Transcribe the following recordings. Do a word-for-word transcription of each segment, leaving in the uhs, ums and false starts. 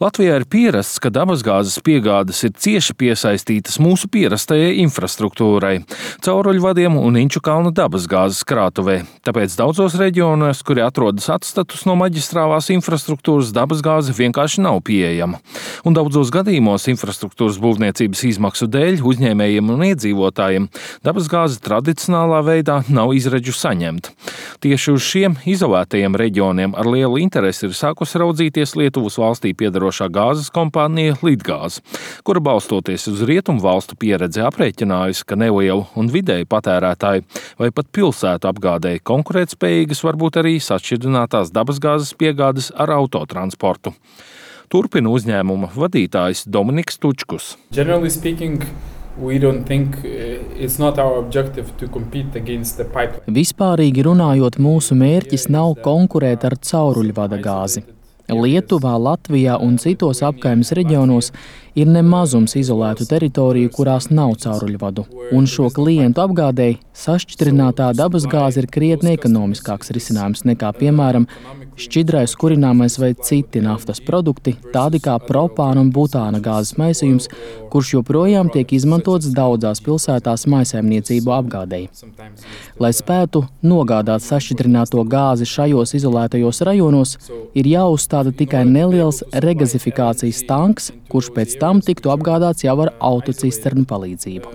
Latvijā ir pierasts, ka dabasgāzes piegādes ir cieši piesaistītas mūsu pierastajai infrastruktūrai – cauruļvadiem un Inču kalna dabasgāzes krātuvē. Tāpēc daudzos reģionos, kuri atrodas atstatus no maģistrālās infrastruktūras, dabasgāze vienkārši nav pieejama. Un daudzos gadījumos infrastruktūras būvniecības izmaksu dēļ uzņēmējiem un iedzīvotājiem dabasgāze tradicionālā veidā nav izredzu saņemta. Tieši uz šiem izolētajiem reģioniem ar lielu interesi ir sākusi raudzīties Lietuvas valstī piedarošā gāzes kompānija Litgāze, kura balstoties uz rietumu valstu pieredzi aprēķinājusi, ka nelielu un vidēju patērētāju vai pat pilsētu apgādēji konkurētspējīgas varbūt arī sašķidrinātās dabasgāzes piegādes ar autotransportu. Turpina uzņēmuma vadītājs Dominiks Tučkus. Generally speaking, we don't think it's not our objective to compete against the pipeline. Vispārīgi runājot, mūsu mērķis nav konkurēt ar cauruļvada gāzi. Lietuvā, Latvijā un citos apkaimes reģionos ir nemazums izolētu teritoriju, kurās nav cauruļvadu, un šo klientu apgādēji sašķidrinātā dabasgāze ir krietni ekonomiskāks risinājums nekā, piemēram, šķidrais kurināmais vai citi naftas produkti, tādi kā propāna un butāna gāzes maisījums, kurš joprojām tiek izmantots daudzās pilsētās maisaimniecību apgādēji. Lai spētu nogādāt sašķidrināto gāzi šajos izolētajos rajonos, ir jāuzstāda tikai neliels regazifikācijas tanks, kurš pēc tam tiktu apgādāts jau ar autocisternu palīdzību.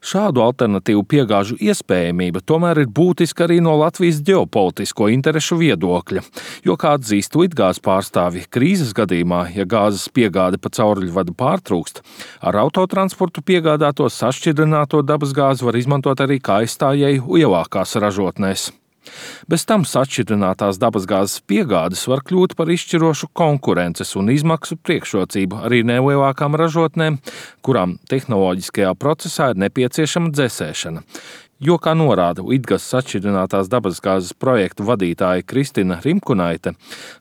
Šādu alternatīvu piegāžu iespējamība tomēr ir būtiska arī no Latvijas ģeopolitisko interešu viedokļa, jo, kā atzīst Litgāzes pārstāvji, krīzes gadījumā, ja gāzes piegāde pa cauruļvadu pārtrūkst, ar autotransportu piegādāto sašķidrināto dabasgāzi var izmantot arī kā aizstājēju lielākās ražotnēs. Bez tam sašķidrinātās dabasgāzes piegādes var kļūt par izšķirošu konkurences un izmaksu priekšrocību arī nelielākām ražotnēm, kurām tehnoloģiskajā procesā ir nepieciešama dzesēšana. Jo, kā norāda Litgāzes sašķidrinātās dabasgāzes projektu vadītāja Kristina Rimkunaite,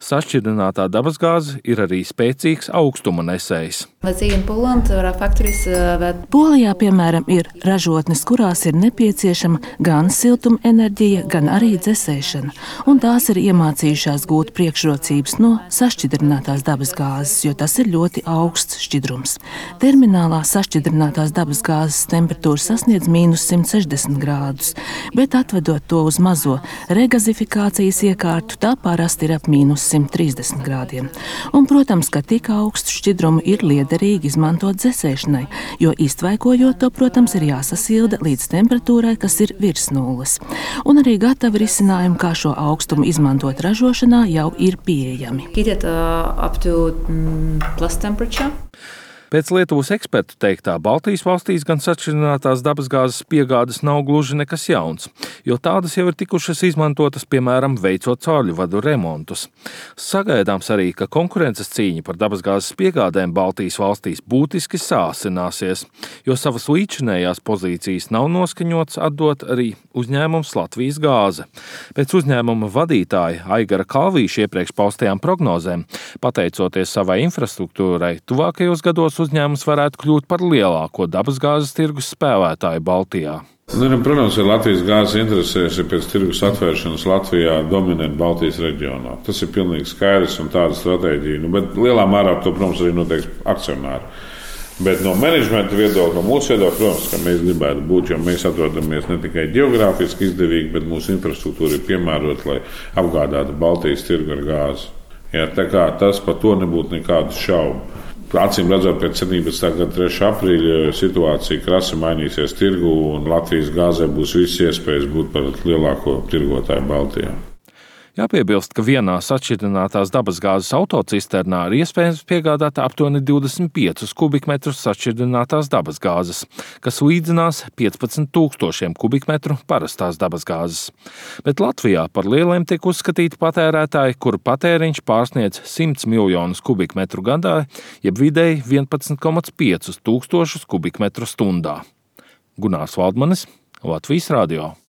sašķidrinātā dabasgāze ir arī spēcīgs augstuma nesējs. Polijā, piemēram, ir ražotnes, kurās ir nepieciešama gan siltuma enerģija, gan arī dzesēšana, un tās ir iemācījušās gūt priekšrocības no sašķidrinātās dabasgāzes, jo tas ir ļoti augsts šķidrums. Terminālā sašķidrinātās dabasgāzes temperatūra sasniedz mīnus simt sešdesmit grādus, bet atvedot to uz mazo regazifikācijas iekārtu, tā parasti ir ap mīnus simt trīsdesmit grādiem. Un, protams, ka tik augstu šķidrumu ir liederīgi izmantot dzesēšanai, jo iztvaikojot to, protams, ir jāsasilda līdz temperatūrai, kas ir virs nulles. Un arī gatavi risinājumi, kā šo augstumu izmantot ražošanā, jau ir pieejami. Pēc Lietuvas ekspertu teiktā, Baltijas valstīs gan sašķidrinātās dabasgāzes piegādes nav gluži nekas jauns, jo tādas jau ir tikušas izmantotas, piemēram, veicot cauruļvadu remontus. Sagaidāms arī, ka konkurences cīņa par dabasgāzes piegādēm Baltijas valstīs būtiski sāsināsies, jo savas līdzinējās pozīcijas nav noskaņots atdot arī uzņēmums Latvijas gāze. Pēc uzņēmuma vadītāja Aigara Kalvīša iepriekš paustajām prognozēm, pateicoties savai infrastruktūrai, tuvākajos gados uzņēmums varētu kļūt par lielāko dabasgāzes tirgus spēlētāju Baltijā. Nu, protams, ir Latvijas gāzes interesēs, ja pēc tirgus atvēršanas Latvijā dominēt Baltijas reģionā. Tas ir pilnīgi skaidrs un tāda stratēģija. Nu, bet lielā mērā to, protams, arī noteiks akcionāri. Bet no menedžmenta viedokļa, no mūsu viedokļa, protams, ka mēs gribētu būt, jo mēs atrodamies ne tikai ģeogrāfiski izdevīgi, bet mūsu infrastruktūra ir piemērota, lai apgādātu Baltijas tirgu ar gāzi. Ja, tā kā tas par to nebūtu nekādu šaubu. Acīm redzot, pēc septiņpadsmitā gada trešā aprīļa situācija krasi mainīsies tirgu un Latvijas gāzē būs visas iespējas būt par lielāko tirgotāju Baltijā. Jāpiebilst, ka vienā sašķidrinātās dabasgāzes autocisternā ir iespējams piegādāt aptuveni divdesmit piecus kubikmetrus sašķidrinātās dabasgāzes, kas līdzinās piecpadsmit tūkstošiem kubikmetru parastās dabasgāzes. Bet Latvijā par lieliem tiek uzskatīti patērētāji, kuru patēriņš pārsniedz simt miljonus kubikmetru gadā, jeb vidēji vienpadsmit komats piecus tūkstošus kubikmetru stundā. Gunārs Valdmanis, Latvijas radio.